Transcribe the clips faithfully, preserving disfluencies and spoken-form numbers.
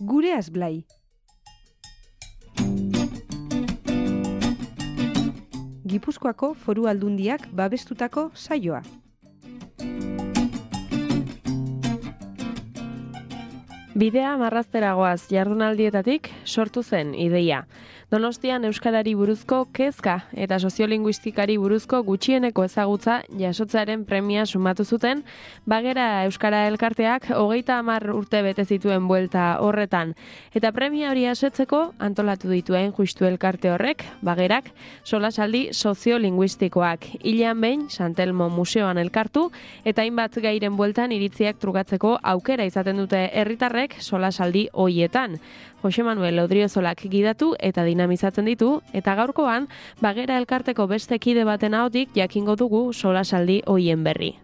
Gureaz Blai. Gipuzkoako Foru Aldundiak babestutako saioa. Bidea marrazteragoaz jardunaldietatik sortu zen ideia. Donostian euskarari buruzko kezka eta soziolinguistikari buruzko gutxieneko ezagutza jasotzearen premia sumatu zuten, Bagera Euskara Elkarteak hogeita hamar urte bete zituen buelta horretan. Eta premia hori asetzeko antolatu dituen justu elkarte horrek, Bagerak, solasaldi soziolinguistikoak. Hilean behin, Santelmo Museoan elkartu, eta hainbat gairen bueltan iritziak trukatzeko aukera izaten dute herritarrek solasaldi hoietan. Jose Manuel Odriozolak gidatu eta dinamizatzen ditu, eta gaurkoan, Bagera Elkarteko beste kide baten ahotik jakingo dugu solasaldi hoien berri.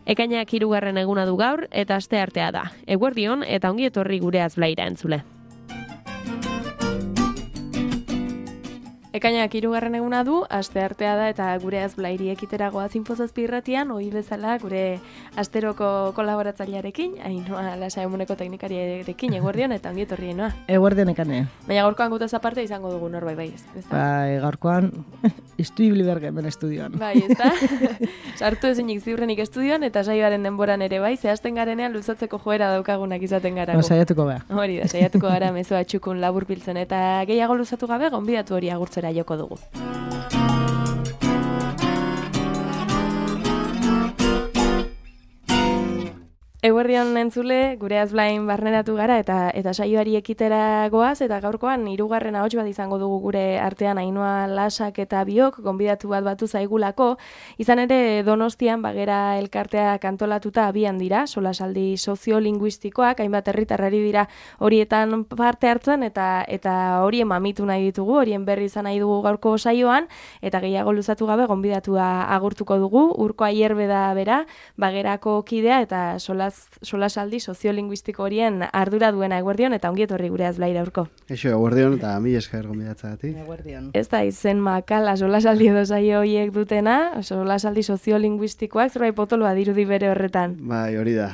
Ekainak hirugarren eguna du gaur, eta asteartea da. Eguerdion eta ongi etorri Gureaz Blaira entzule. Ekainak hirugarren eguna du, asteartea da eta Gureaz Blairi ekiteragoa zinfozazpi irratian, ohi bezala gure asteroko kolaboratzailearekin, Ainhoa Lasa emuneko teknikariarekin, eguerdion eta ongi etorri Ainhoa. Eguerdion ekane. Baina gaurkoan gutaz aparte izango dugu norbait bai, ez da? Bai, gaurkoan istuibli bergemen estudioan. Bai, ez da? Sartu ezinik ziurrenik estudioan eta saioaren denboran ere bai, zehazten garenean luzatzeko joera daukagunak izaten garago. Ba, saiatuko gara. Hori da, saiatuko gara mezoa txukun laburbiltzen eta gehiago luzatu gabe gonbidatu hori agurtzera joko dugu. Eguerdion entzule, Gureaz Blain barneratu gara eta eta saioari ekitera goaz, eta gaurkoan hirugarren ahots bat izango dugu gure artean Ainhoa Lasak eta biok, gonbidatu bat batu zaigulako. Izan ere Donostian Bagera Elkarteak antolatuta abian dira, solasaldi soziolinguistikoak, hainbat herritarrari dira horietan parte hartzen eta eta horien mamitu nahi ditugu, horien berri izan nahi dugu gaurko saioan, eta gehiago luzatu gabe gonbidatua agurtuko dugu. Urko Aierbe da bera, Bagerako kidea eta sola solasaldi soziolinguistiko horien ardura duena. Eguerdion eta ongi etorri Gureaz Blaira urko. Eixo, eguerdion eta mi esker gonbidatzagatik. Eguerdion. Ez da izen makala solasaldi edo saio horiek dutena, solasaldi soziolinguistikoak zerbait potoloa dirudi bere horretan. Bai, hori da.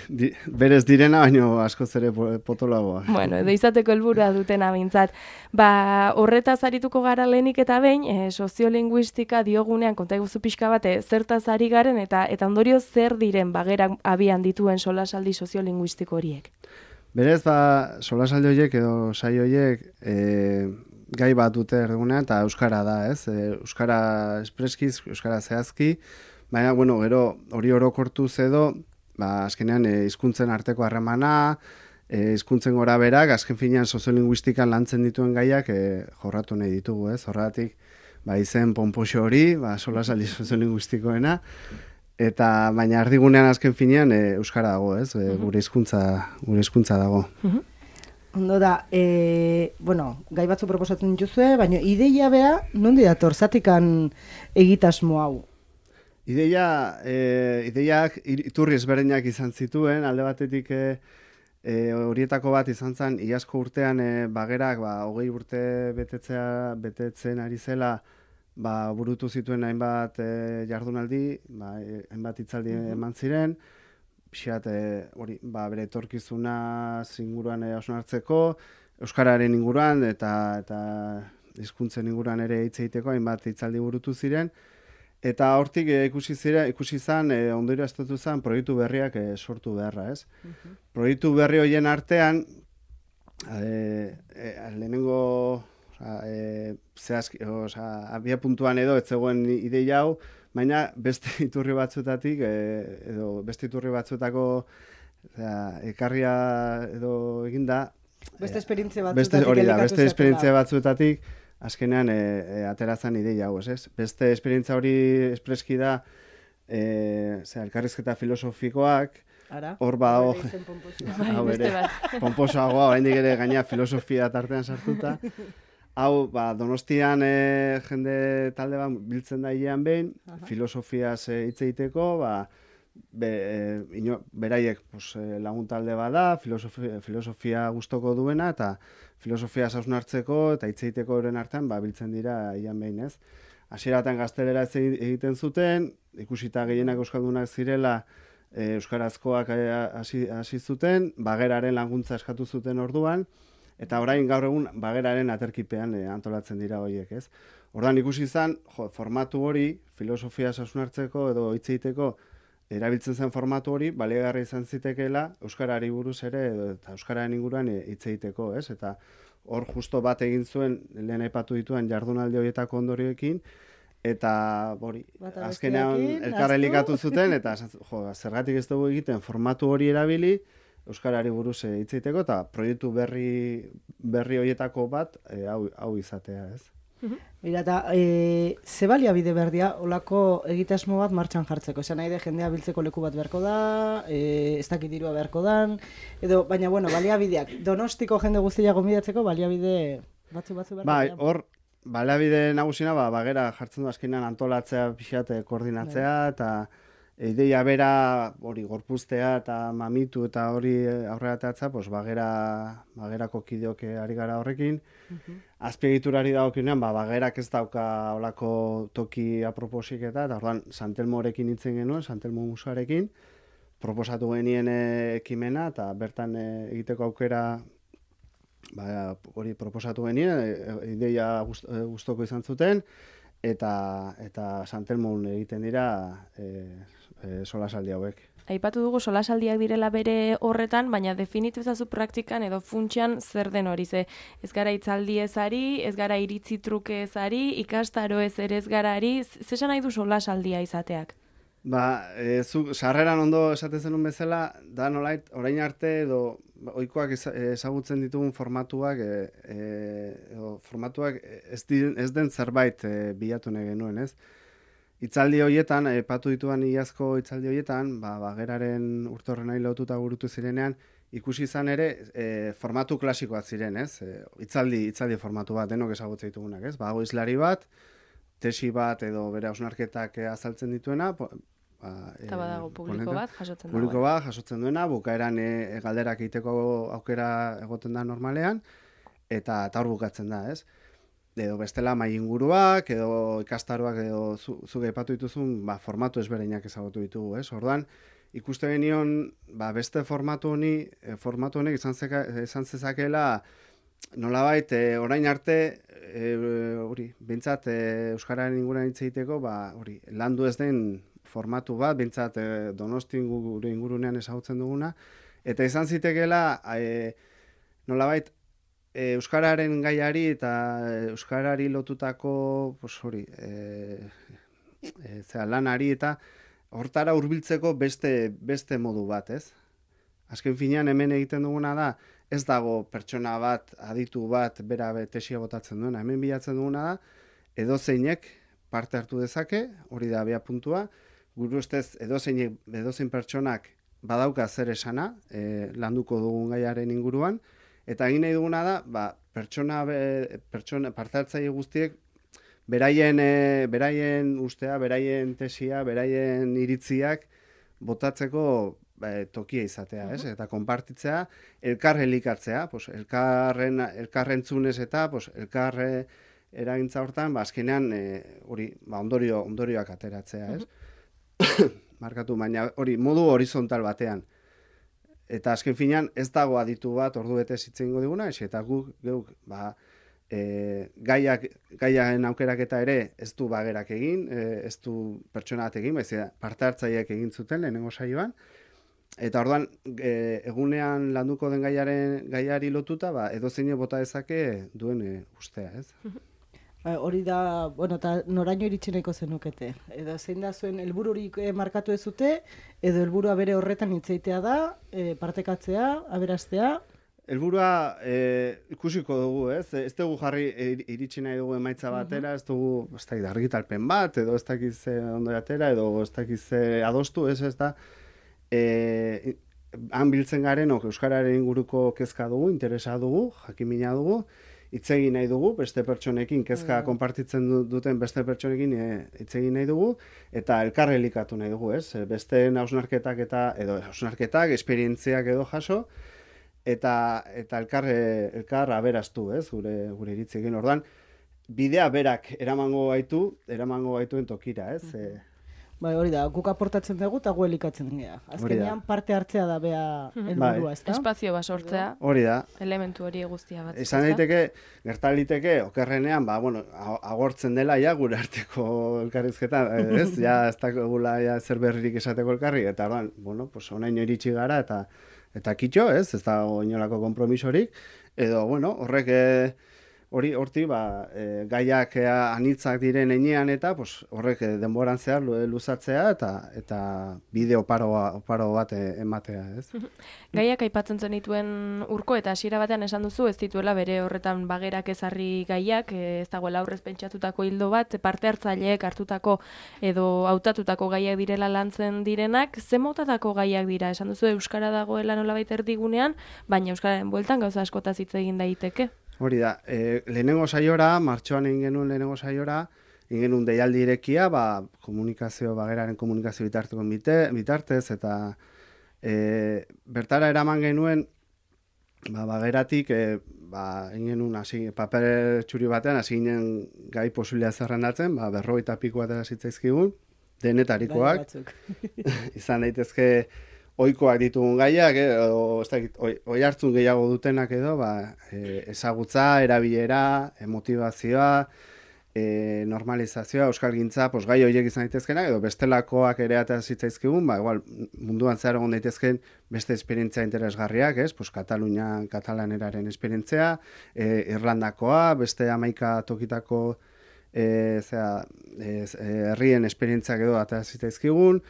Di, berez direna, baino askoz ere potoloagoa. Bueno, edo izateko helburua dutena behintzat. Ba, horretaz arituko gara lehenik eta behin, e, soziolinguistika diogunean konta iguzu pixka bate, zertaz ari garen eta eta ondorio zer diren Bagerak abian ditu solasaldi soziolinguistiko horiek. Berez, ba, solasaldi horiek edo saio horiek e, gai bat dute erdugunean, eta euskara da, ez? E, euskara espreskiz, euskara zehazki, baina, bueno, gero hori orokortuz edo, ba, azkenean e, hizkuntzen arteko harremana, e, hizkuntzen gora berak, azken finean soziolinguistikan lantzen dituen gaiak e, jorratu nahi ditugu, ez? Horregatik, ba, izen ponpoxo hori, ba, solasaldi soziolinguistikoena, eta baina ardigunean azken finean e, euskara dago, ez? E, gure hizkuntza gure hizkuntza dago. Uh-huh. Ondo da, e, bueno, gai batzu proposatzen dituzue, baina ideia bea nondi dator zatikan egitasmo hau? Ideia, e, ideiak iturri ezberdinak izan zituen, alde batetik e, e, horietako bat izan zen iazko urtean e, Bagerak ba hogei urte betetzea betetzen ari zela, ba, burutu zituen hainbat e, jardunaldi, ba, e, hainbat hitzaldi uh-huh. eman ziren, pixat, e, hori, ba, bere etorkizuna inguruan e, hausnartzeko, euskararen inguruan eta eta hizkuntzen inguruan ere hitz egiteko hainbat hitzaldi burutu ziren, eta hortik e, ikusi zira, ikusi zan, e, ondorio estatu zan, proiektu berriak e, sortu beharra, ez? Uh-huh. Proiektu berri horien artean, e, e, lehenengo Osa, e, zehazki, osa, abia puntuan edo ez zegoen ideia hau, baina beste iturri batzuetatik, e, edo beste iturri batzuetako osea, ekarria edo eginda. Beste esperientzia batzuetatik. Beste, hori da, beste esperientzia batzuetatik, azkenean e, e, aterazan ideia hau, ez? Beste esperientzia hori espreski da, e, zera, elkarrizketa filosofikoak, hor ba, hau ere, pomposoagoa, oraindik ere gaina filosofia tartean sartuta. Hau, ba, Donostian e, jende talde bat biltzen da hilean behin, uh-huh. filosofiaz hitz egiteko, ba, be, e, ino, beraiek pues, lagun talde bat da, filosofia, filosofia gustoko duena, eta filosofia hausnartzeko eta hitz egiteko euren artean ba, biltzen dira hilean behin, ez? Hasieratan gaztelera ez egiten zuten, ikusita gehienak euskaldunak zirela, e, euskarazkoak hasi hasi zuten, bageraren laguntza eskatu zuten orduan, eta orain gaur egun bageraren aterkipean e, antolatzen dira horiek, ez? Orduan ikusi izan, jo, formatu hori, filosofia hausnartzeko edo hitz egiteko erabiltzen zen formatu hori, baliagarri izan zitekeela euskarari buruz ere edo eta euskararen inguruan hitz egiteko, ez? Eta hor justo bat egin zuen lehen aipatu dituen jardunaldi horietako ondorioekin, eta hori, azkenean elkarrelikatu zuten, eta jo, zergatik ez dugu egiten formatu hori erabili, euskarari buruz hitz egiteko, eta proiektu berri, berri horietako bat e, hau, hau izatea, ez? Mira, eta e, ze baliabide berdia olako egitasmo bat martxan jartzeko. Esan nahi de jendea biltzeko leku bat beharko da, e, ez dakit dirua beharko dan, edo, baina, bueno, baliabideak, Donostiko jende guztia gonbidatzeko baliabide batzu batzu beharko da. Bai, hor, baliabide nagusina, ba, bagera jartzen du azkenean antolatzea, pixate koordinatzea, bai. Eta ideia bera, hori, gorpuztea eta mamitu eta hori aurreratatza, pues, bagera, bagerako kideok ari gara horrekin. Uh-huh. Azpiegiturari dagokionean, ba, bagerak ez dauka olako toki aproposik eta, eta orduan Santelmorekin hitzen genuen, Santelmo museoarekin, proposatu genien ekimena, eta bertan e, egiteko aukera, ba, hori proposatu genien, e, ideia gust, e, gustoko izan zuten, eta eta Santelmon egiten dira e, e, solasaldi hauek. Aipatu dugu solasaldiak direla bere horretan, baina definitu ezazu praktikan edo funtsean zer den hori, ze ez gara hitzaldi ezari, ez gara iritzi truke ezari, ikastaro ez ere ez gara ari, zesan nahi du solasaldia izateak? Ba, e, zu, sarreran ondo esaten zenun bezala, da nolait, orain arte edo ohikoak ezagutzen ditugun formatuak, e, e, edo formatuak ez, di, ez den zerbait e, bilatu nahi genuen, ez? Hitzaldi horietan, epatu dituan iazko hitzaldi horietan, ba, bageraren urtorrenari lotuta burutu zirenean, ikusi izan ere e, formatu klasikoak ziren, ez? E, hitzaldi, hitzaldi formatu bat, denok ezagutzen ditugunak, ez? Ba, hizlari bat, tesi bat edo bere hausnarketak azaltzen dituena, ba, eta badago publiko bat jasotzen duena. Publiko bat jasotzen duena, bukaeran e, galderak egiteko aukera egoten da normalean, eta eta hor bukatzen da, ez? Edo bestela mai inguruak, edo ikastaroak, edo zuk aipatu dituzun, ba, formatu ezberdinak ezagutu ditugu, ez? Orduan, ikuste genion, ba, beste formatu honi, e, formatu honek izan, zeka, izan zezakeela, nolabait, e, orain arte, hori, e, bintzat, e, euskararen inguruan hitz egiteko, ba, hori, landu ez den formatu bat, bintzat, e, Donosti gure ingurunean ezagutzen duguna, eta izan zitekeela, e, nolabait, euskararen gaiari eta euskarari lotutako, pues hori, e, e, zera, lanari eta hortara hurbiltzeko beste, beste modu bat, ez? Azken finean hemen egiten duguna da, ez dago pertsona bat, aditu bat, bera tesia botatzen duena. Hemen bilatzen duguna da, edozeinek parte hartu dezake, hori da bea puntua, gure ustez edozeinek, edozein pertsonak badauka zer esana, e, landuko dugun gaiaren inguruan, eta egin nahi duguna da, ba, pertsona, pertsona parte hartzaile guztiek beraien, e, beraien ustea, beraien tesia, beraien iritziak botatzeko e, tokia izatea, ez? Eta konpartitzea, elkar elikatzea, pues, elkarren, elkarrentzunez eta pues, elkarre eragintza hortan, ba, azkenean hori, e, ba, ondorio, ondorioak ateratzea, ez? Uh-huh. Markatu, baina hori modu horizontal batean. Eta azken finean ez dago aditu bat ordu bete zitzengo diguna, eta guk, guk ba, e, gaiak, gaiaren aukeraketa ere ez du bagerak egin, e, ez du pertsona bat egin, baiz parte hartzaileak egin zuten lehenengo saioan, eta orduan e, egunean landuko den gaiaren gaiari lotuta, ba, edozein bota dezake duen e, ustea, ez? Hori da, bueno, eta noraino iritsi nahiko zenukete. Edo zein da zuen helbururik markatu ez dute, edo helburua bere horretan hitzeitea da, e, partekatzea, aberastea? Helburua e, ikusiko dugu, ez? Ez dugu jarri iritsi nahi dugu emaitza batera, ez dugu, ez da, argitalpen bat, edo ez dakiz ondo atera, edo ez dakiz adostu, ez ez da, e, han biltzen garenok euskararen inguruko kezka dugu, interesa dugu, jakimina dugu, hitz egin nahi dugu, beste pertsonekin, kezka mm. konpartitzen duten beste pertsonekin hitz egin nahi dugu, eta elkar elikatu nahi dugu, ez? Beste hausnarketak eta, edo hausnarketak, esperientziak edo jaso, eta eta elkar, elkar aberaztu, ez? Gure, gure iritziekin. Orduan, bidea berak eramango gaitu, eramango gaituen tokira, ez? Mm. Bai, hori da, guk aportatzen dugu eta gu elikatzen gea. Azkenean parte hartzea da bea helburua, ezta? Espazio bat sortzea. Hori da. Elementu hori guztia bat. Esan daiteke, gertaliteke, okerrenean, ba, bueno, agortzen dela ja gure arteko elkarrizketa, ez? Ja, ez dakegula ja zer berririk esateko elkarri, eta ban, bueno, pues onaino iritsi gara, eta eta kitxo, ez? Ez da inolako konpromisorik, edo, bueno, horrek hori horti ba, e, gaiak e, anitzak diren enean eta pues, horrek e, denboran zehar luzatzea eta eta bide oparo, oparo bat ematea, ez? Gaiak aipatzen zenituen Urko eta hasiera batean esan duzu ez dituela bere horretan bagerak ezarri gaiak, e, ez dagoela aurrez pentsatutako hildo bat, parte hartzaileek hartutako edo hautatutako gaiak direla lantzen direnak, ze motatako gaiak dira? Esan duzu euskara dagoela nolabait erdigunean, baina euskararen bueltan gauza askotaz hitz egin daiteke. Hori da, e, lehenengo saiora, martxoan egin genuen lehenengo saiora, egin genuen deialdi irekia, ba, komunikazio, bageraren komunikazio bitarteko bitartez, eta e, bertara eraman genuen, ba, bageratik, e, ba, egin genuen hasi, paper txuri batean, hasi ginen gai posibilea zerrendatzen, ba, berrogeita pikoa eta zitzaizkigun, denetarikoak, izan daitezke, ohikoak ditugun gaiak, eh, o, ez dakit, oi, oi hartzun gehiago dutenak edo, ba, e, ezagutza, erabilera, e, motivazioa, e, normalizazioa, euskalgintza, pues, gai horiek izan daitezkenak, edo bestelakoak ere eta zitzaizkigun, ba, igual, munduan zehar egon daitezken beste esperientzia interesgarriak, ez? Pues, Katalunia, katalaneraren esperientzia, e, Irlandakoa, beste hamaika tokitako e, zera, e, herrien esperientziak edo eta zitzaizkigun,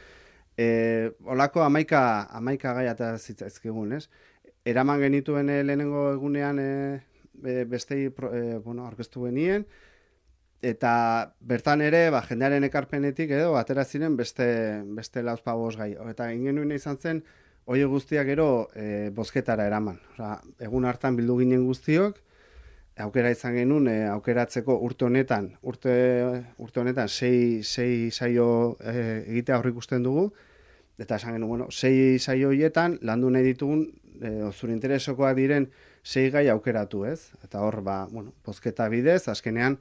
E, olako amaika, amaika gai eta zitzaizkigun, ez? Eraman genituen e, lehenengo egunean e, bestei e, bueno, aurkeztu genien, eta bertan ere, ba, jendearen ekarpenetik edo, atera ziren beste, beste lauzpagoz gai. Eta ingenuen izan zen, hori guztiak gero e, bozketara eraman. Osa, egun hartan bildu ginen guztiok, aukera izan genuen, e, aukeratzeko urte honetan, urte, urte honetan sei, sei saio e, egitea aurre ikusten dugu, eta esan genuen, bueno, sei saio horietan landu nahi ditugun, e, zure interesokoak diren sei gai aukeratu, ez? Eta hor, ba, bueno, bozketa bidez, azkenean,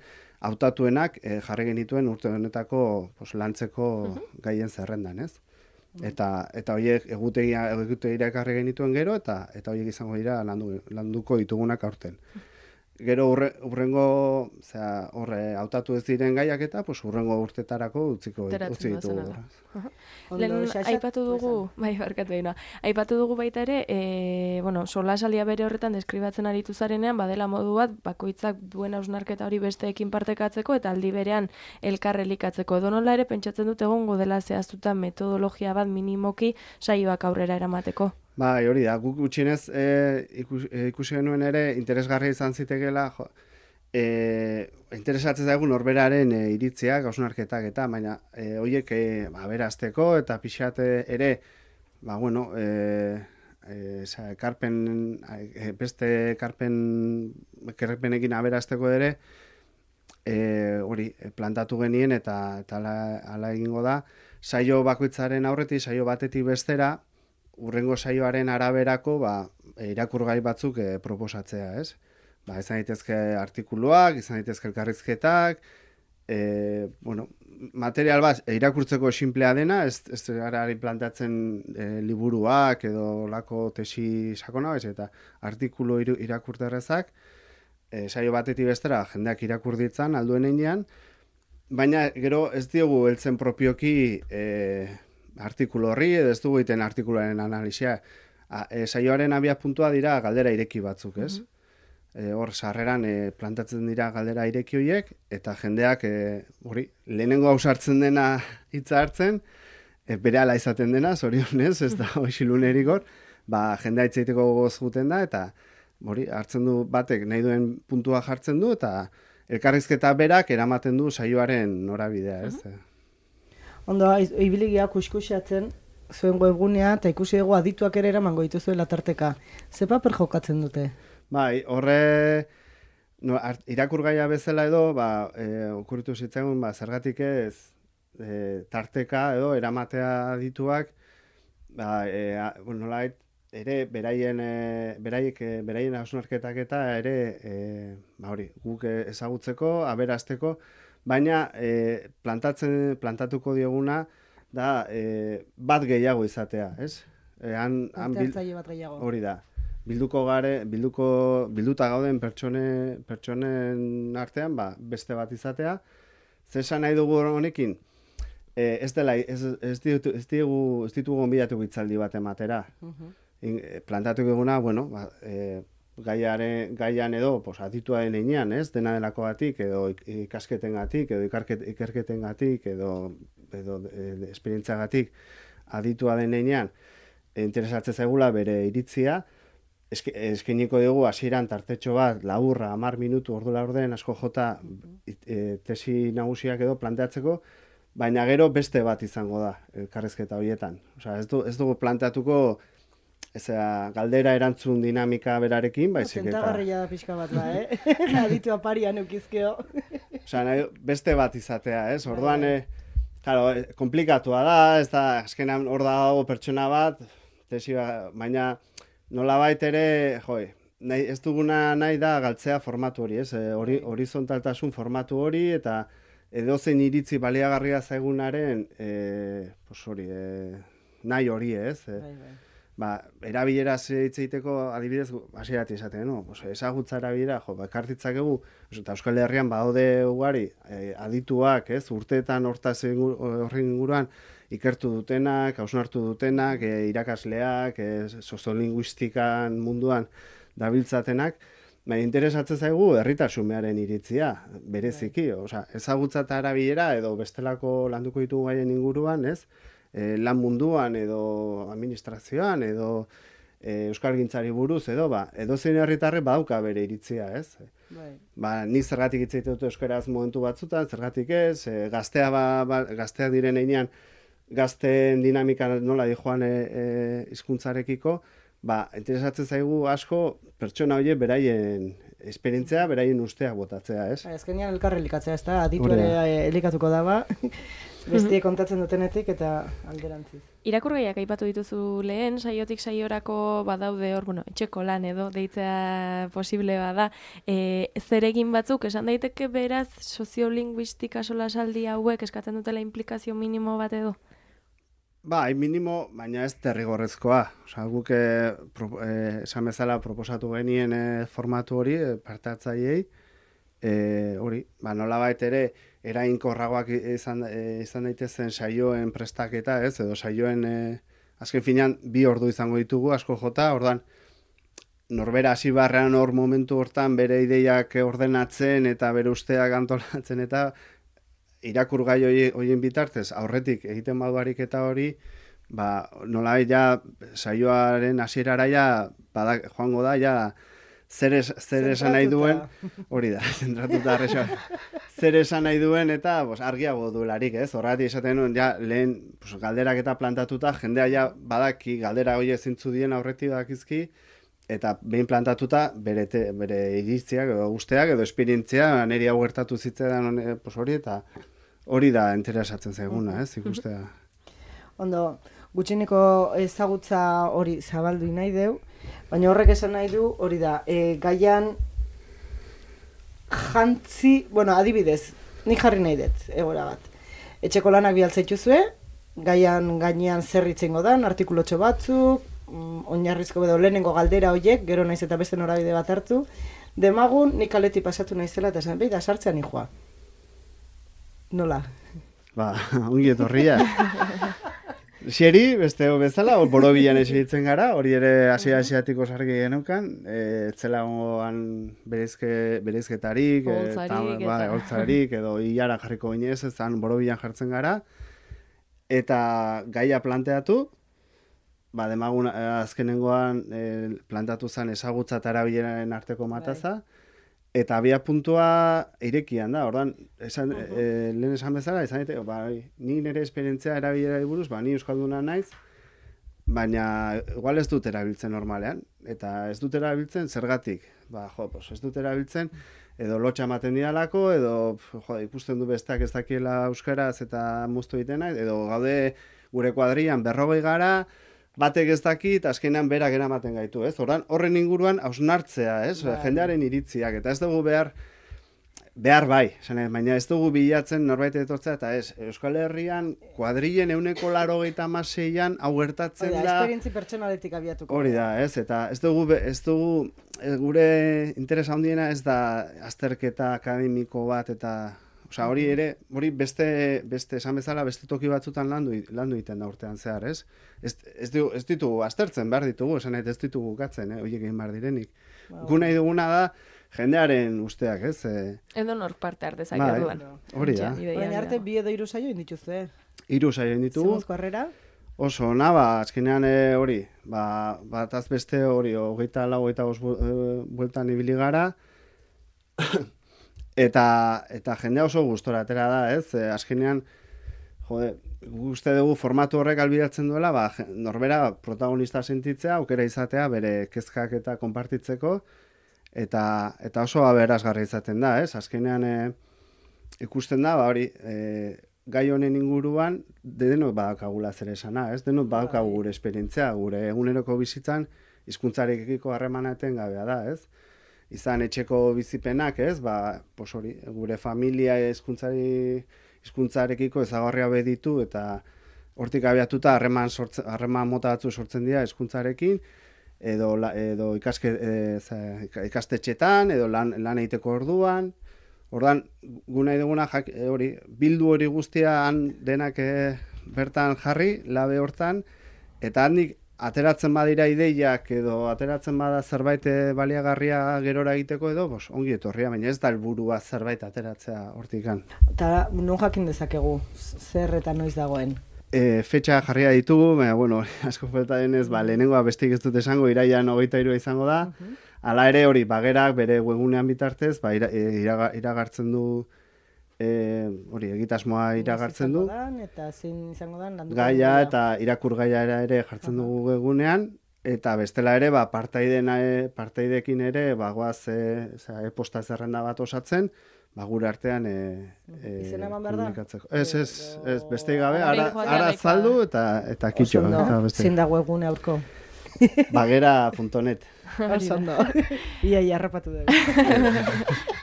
hautatuenak e, jarri genituen urte honetako pues, lantzeko uh-huh. gaien zerrendan, ez? Eta eta horiek egutegia egutegira ekarri genituen gero, eta eta horiek izango dira landu, landuko ditugunak aurten. Gero urre, urrengo, osea, horre hautatu ez diren gaiak eta pues urrengo urtetarako utziko utzi ditugu. Lehen aipatu dugu, bai, barkatu egin, aipatu dugu baita ere, e, bueno, solasaldia bere horretan deskribatzen aritu zarenean, badela modu bat, bakoitzak duen hausnarketa hori besteekin partekatzeko eta aldi berean elkar elikatzeko. Donola ere pentsatzen dut egongo dela zehaztuta metodologia bat minimoki saioak aurrera eramateko. Bai, hori da, guk gutxienez e, ikus, e, ikusi genuen ere interesgarria izan zitekeela, jo, e, interesatzen zaigu norberaren e, iritziak, hausnarketak eta, baina e, horiek e, ba, berazteko eta pixate ere, ba, bueno, e, e, sa, karpen, e, beste karpen, karpenekin aberazteko ere, e, hori, plantatu genien eta, eta ala, ala egingo da, saio bakoitzaren aurretik, saio batetik bestera, urrengo saioaren araberako ba, irakurgai batzuk e, proposatzea, ez? Ba, izan daitezke artikuluak, izan daitezke elkarrizketak, e, bueno, material bat irakurtzeko sinplea dena, ez, ez garari plantatzen e, liburuak edo lako tesi sakona, ez, eta artikulu irakurterrezak, e, saio batetik bestera jendeak irakur ditzan alduen enean, baina gero ez diogu heltzen propioki e, artikulu horri, edo ez dugu egiten artikuluaren analisia. E, saioaren abia puntua dira galdera ireki batzuk, ez? Mm-hmm. E, hor, sarreran e, plantatzen dira galdera ireki horiek, eta jendeak, e, hori, lehenengo hausartzen dena hitza hartzen, e, bere ala izaten dena, zorionez, ez da hoxilunerik hor, ba, jendea hitz egiteko gogoz guten da, eta hori, hartzen du batek nahi duen puntua jartzen du, eta elkarrizketa berak eramaten du saioaren norabidea, ez? Mm-hmm. Ondo, ibiligia kuskusiatzen zuen webgunea eta ikusi dugu adituak ere eramango dituzuela tarteka. Ze paper jokatzen dute? Bai, horre no, irakurgaia bezala edo, ba, e, okurritu zitzaigun, ba, zergatik ez e, tarteka edo eramatea adituak, ba, e, bueno, nolait, ere beraien e, beraiek e, beraien hausnarketak eta ere e, ba, hori, guk ezagutzeko, aberazteko, baina e, plantatzen, plantatuko dioguna da e, bat gehiago izatea, ez? E, han, han bil... bat gehiago. Hori da. Bilduko gare, bilduko, bilduta gauden pertsone, pertsonen artean, ba, beste bat izatea. Zesan nahi dugu honekin, e, ez dela, ez, ez, ditu, ez, digu, ez ditugu gonbidatu hitzaldi bat ematera. Uh-huh. In, e, plantatu eguna, bueno, ba, e, gaiaren, gaian edo, pues, aditua den einean, ez? Dena delako gatik, edo ikasketen gatik, edo ikarket, ikerketen gatik, edo, edo e, esperientzia gatik, aditua den einean, interesatzen zaigula bere iritzia, Eske, eskeniko dugu hasieran tartetxo bat, laburra, hamar minutu, ordu laurden, asko jota e, tesi nagusiak edo planteatzeko, baina gero beste bat izango da, elkarrizketa horietan. Osea, ez, du, ez dugu planteatuko ezea, galdera erantzun dinamika berarekin, baizik eta... Tentagarria da pixka bat da, eh? Aditu aparian eukizkeo. Osea, nahi, beste bat izatea, ez? Orduan, e, claro, komplikatua da, ez da, azkenan hor dago pertsona bat, tesi bat, baina... Nolabait ere, joi, nahi, ez duguna nahi da galtzea formatu hori, ez? E, hori, horizontaltasun formatu hori, eta edozein iritzi baliagarria zaigunaren, e, pues hori, e, nahi hori, ez? E, bai, bai. Ba, erabilera hitz egiteko adibidez, hasierati esaten, no? Pues, ezagutza erabilera, jo, bakartitzak egu, eta Euskal Herrian badaude ugari, e, adituak, ez? Urteetan hortaz horren inguruan, ikertu dutenak, hausnartu dutenak, e, irakasleak, e, soziolinguistikan munduan dabiltzatenak, baina interesatzen zaigu herritasunearen iritzia, bereziki, osea, ezagutza eta erabilera edo bestelako landuko ditugu gaien inguruan, ez? E, lan munduan edo administrazioan edo e, euskalgintzari buruz edo ba, edo zein herritarrek badauka bere iritzia, ez? Bai. Ba, ni zergatik hitz egiten dut euskaraz momentu batzutan, zergatik ez, e, gaztea ba, ba, gazteak diren heinean gazteen dinamika nola di joan e, e, hizkuntzarekiko, ba, interesatzen zaigu asko pertsona horiek beraien esperientzia, beraien usteak botatzea, ez? Azkenean elkarre elikatzea, ez da, aditu ere elikatuko daba, bestie kontatzen dutenetik eta alderantziz. Irakurgaiak aipatu dituzu lehen, saiotik saiorako badaude hor, bueno, etxeko lan edo deitzea posible bada, e, zeregin batzuk, esan daiteke beraz, soziolinguistika solasaldi hauek eskatzen dutela implikazio minimo bat edo? Ba, hain minimo, baina ez derrigorrezkoa. Osa, guk e, pro, e, esan bezala proposatu genien e, formatu hori, e, parte hartzaileei, e, hori, ba, nolabait ere, erainkorragoak izan, e, izan daitezen saioen prestaketa, ez, edo saioen, e, azken finean, bi ordu izango ditugu, asko jota, ordan, norbera hasi barrean hor momentu hortan bere ideiak ordenatzen eta bere usteak antolatzen eta irakurgai horien bitartez, aurretik egiten baduarik eta hori, ba, nola ja, saioaren hasierara ja, badak, joango da, ja, zer, es, zer esan nahi duen, hori da, zentratuta arrexo, zer esan nahi duen eta bos, argiago duelarik, ez? Horregatik esaten nuen, ja, lehen pues, galderak eta plantatuta, jendea ja badaki, galdera hori zintzu dien aurretik dakizki, eta behin plantatuta bere, te, bere iritziak edo guzteak edo esperientzia niri hau gertatu zitzaidan pues hori eta hori da interesatzen zaiguna, ez, ikustea. Ondo, gutxineko ezagutza hori zabaldu nahi deu, baina horrek esan nahi du hori da, e, gaian jantzi, bueno, adibidez, nik jarri nahi dut, egora bat. Etxeko lanak bialtzaituzue, gaian gainean zer itzengo dan, artikulotxo batzuk, oinarrizko edo lehenengo galdera horiek, gero naiz eta beste norabide bat hartu, demagun nik kaleti pasatu naizela eta esan, behi da sartzean nijoa. Nola? Ba, ongi etorria. Xeri, beste bezala, borobilan esitzen gara, hori ere asia-asiatiko sargi genukan, e, etzela ongoan berezke, berezketarik, holtzarik, ba, holtzarik, edo hilara jarriko ginez, ezan borobilan jartzen gara, eta gaia planteatu, ba, demagun azkenengoan e, plantatu zen ezagutza eta erabileraren arteko mataza, eta abia puntua irekian da, ordan, esan, uh -huh. e, lehen esan bezala, esan dite, ba, ni nire esperientzia erabilerari buruz, ba, ni euskalduna naiz, baina igual ez dut erabiltzen normalean, eta ez dut erabiltzen zergatik, ba, jo, pues, ez dut erabiltzen, edo lotxa ematen didalako, edo jo, ikusten du besteak ez dakiela euskaraz eta muztu egiten naiz, edo gaude gure kuadrian berrogei gara, batek ez dakit, azkenean berak eramaten gaitu, ez? Horren, horren inguruan hausnartzea, ez? Bai. Jendearen iritziak, eta ez dugu behar, behar bai, zene, baina ez dugu bilatzen norbait etortzea, eta ez, Euskal Herrian kuadrilen euneko laro gehieta maseian hau gertatzen Hori da. esperientzi pertsonaletik abiatuko. Hori da, ez, eta ez dugu, be- ez dugu, e, gure interesa handiena ez da azterketa akademiko bat, eta, osea, hori ere, hori beste, beste, esan bezala, beste toki batzutan landu, landu egiten da urtean zehar, ez? Ez, ez, du, ez ditugu aztertzen, behar ditugu, esan nahi, ez ditugu gatzen, eh, horiek egin behar direnik. Gu nahi duguna da, jendearen usteak, ez? E, Edo nork parte hartezak Bai, orduan. hori da. Ja, ideia Orain hori arte dago. bi edo hiru saio indituzue. Hiru saio egin ditugu. Zemuzko harrera? Oso, na, ba, azkenean e, hori, ba, bat azbeste hori, hogeita lau, hogeita bost bu- e, bueltan ibili gara, eta, eta jendea oso gustora atera da, ez? E, azkenean, jode, uste dugu formatu horrek albidatzen duela, ba, je- norbera protagonista sentitzea, aukera izatea, bere kezkak eta konpartitzeko, eta, eta oso aberasgarri izaten da, ez? Azkenean, e, ikusten da, ba, hori, e, gai honen inguruan, de denok badakagula zer esana, ez? Denok badakagu gure esperientzia, gure eguneroko bizitzan, hizkuntzarekiko harremana etengabea da, ez? Izan etxeko bizipenak, ez? Ba, pos hori, gure familia hizkuntzari hizkuntzarekiko ezagarria beditu eta hortik abiatuta harreman sortze, harreman mota batzu sortzen dira hizkuntzarekin, edo la, edo ikaske, e, za, ikastetxetan, edo lan, lan egiteko orduan. Ordan gu nahi duguna jak, e, hori, bildu hori guztian denak e, bertan jarri, labe hortan, eta handik ateratzen badira ideiak edo ateratzen bada zerbait e, baliagarria gerora egiteko edo, bos, ongi etorria, baina ez da helburua zerbait ateratzea hortikan. Eta non jakin dezakegu zer eta noiz dagoen. E, fetxa jarria ditugu, baina, bueno, asko falta denez, ba, lehenengoa bestik ez dut esango, iraian hogeita hirua izango da. Hala ere hori, bagerak bere webunean bitartez, ba, ira, e, iraga, iragartzen du, e, hori, egitasmoa iragartzen du. Dan, eta zein izango dan, landuko Gaia dugula. eta irakur gaia ere jartzen dugu egunean, eta bestela ere, ba, partaideen, e, partaidekin ere, ba, goaz, e, oza, e-posta zerrenda bat osatzen, ba, gure artean e, e, Izena eman behar da? komunikatzeko. Ez, ez, ez, beste gabe, Hori ara, joatea ara nahikoa azaldu da. eta, eta Oso kitxo. ondo, Eta beste. zein dago egune aurko. Bagera punto net. Oso ondo. Ia, ia, harrapatu dugu.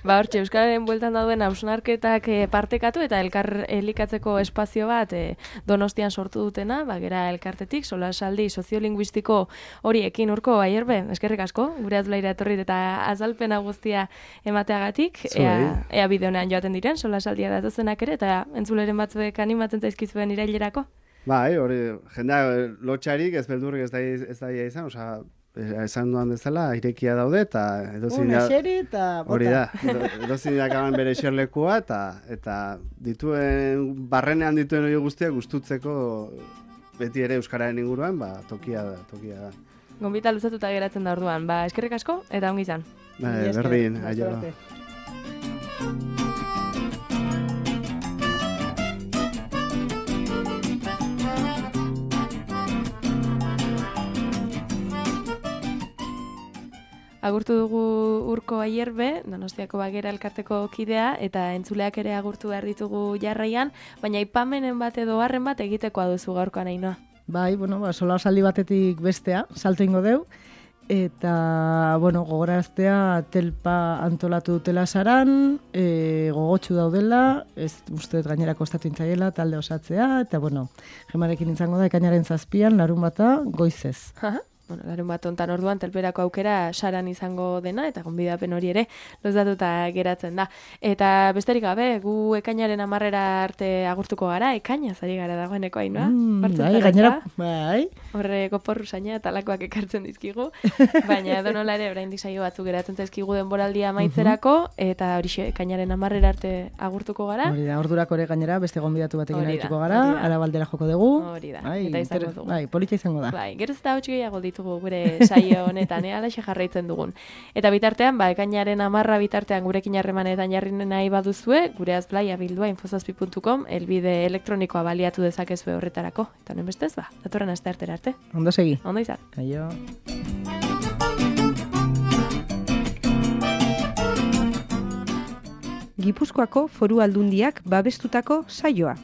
Ba, hortxe, Euskararen bueltan dauden hausnarketak eh, partekatu eta elkar elikatzeko espazio bat eh, Donostian sortu dutena, bagera elkartetik, solasaldi soziolinguistiko horiekin urko aierbe, eskerrik asko, gure azulaira etorrit eta azalpena guztia emateagatik, Zuei. ea, ea bideonean joaten diren, solasaldia datozenak ere, eta entzuleren batzuek animatzen zaizkizuen irailerako. Bai, hori, jendea lotxarik ez beldurrik ez da ez da izan, osea, esan duan bezala, irekia daude, eta edozin Una xeri eta bota. hori da, edo- edozin dakaban bere eserlekua, eta, eta dituen, barrenean dituen hori guztiak gustutzeko beti ere euskararen inguruan, ba, tokia da, tokia da. Gonbita luzatuta geratzen da orduan, ba, eskerrik asko, eta ongi izan. Ba, Mila esker, berdin, laster aio. arte. Agurtu dugu Urko Aierbe, Donostiako Bagera elkarteko kidea, eta entzuleak ere agurtu behar ditugu jarraian, baina aipamenen bat edo harren bat egitekoa duzu gaurkoan Ainhoa. Bai, bueno, ba, sola saldi batetik bestea, salto ingo deu, eta, bueno, gogoraztea telpa antolatu dutela saran, e, gogotsu daudela, ez uste dut gainera kostatu intzaiela, talde osatzea, eta, bueno, gemarekin izango da, ekainaren zazpian, larun bata, goizez. Bueno, larun bat ontan orduan telperako aukera saran izango dena, eta gonbidapen hori ere lozatuta geratzen da. Eta besterik gabe, gu ekainaren amarrera arte agurtuko gara, ekaina zari gara dagoeneko Ainhoa. Mm, Bartzen bai, zara, gainera, ezta? bai, Horre koporru saina eta lakoak ekartzen dizkigu, baina edonola ere oraindik saio batzuk geratzen zaizkigu denboraldia amaitzerako, eta horixe ekainaren amarrera arte agurtuko gara. hori da, ordurako ere gainera, beste gonbidatu batekin Hori da, arituko gara, hori da. Arabaldera joko dugu. Hori da, Bai, eta izango inter- dugu. Bai, polita izango da. Bai, geroz eta hauts gehiago ditugu gure saio honetan, eh, alaxe jarraitzen dugun. Eta bitartean, ba, ekainaren amarra bitartean gurekin harremanetan jarri nahi baduzue, gure azblaia bildua infozazpi puntu com, elbide elektronikoa baliatu dezakezue horretarako. Eta honen bestez, ba, datorren aste artera arte. Ondo segi. Ondo izan. Aio. Gipuzkoako Foru Aldundiak babestutako saioa.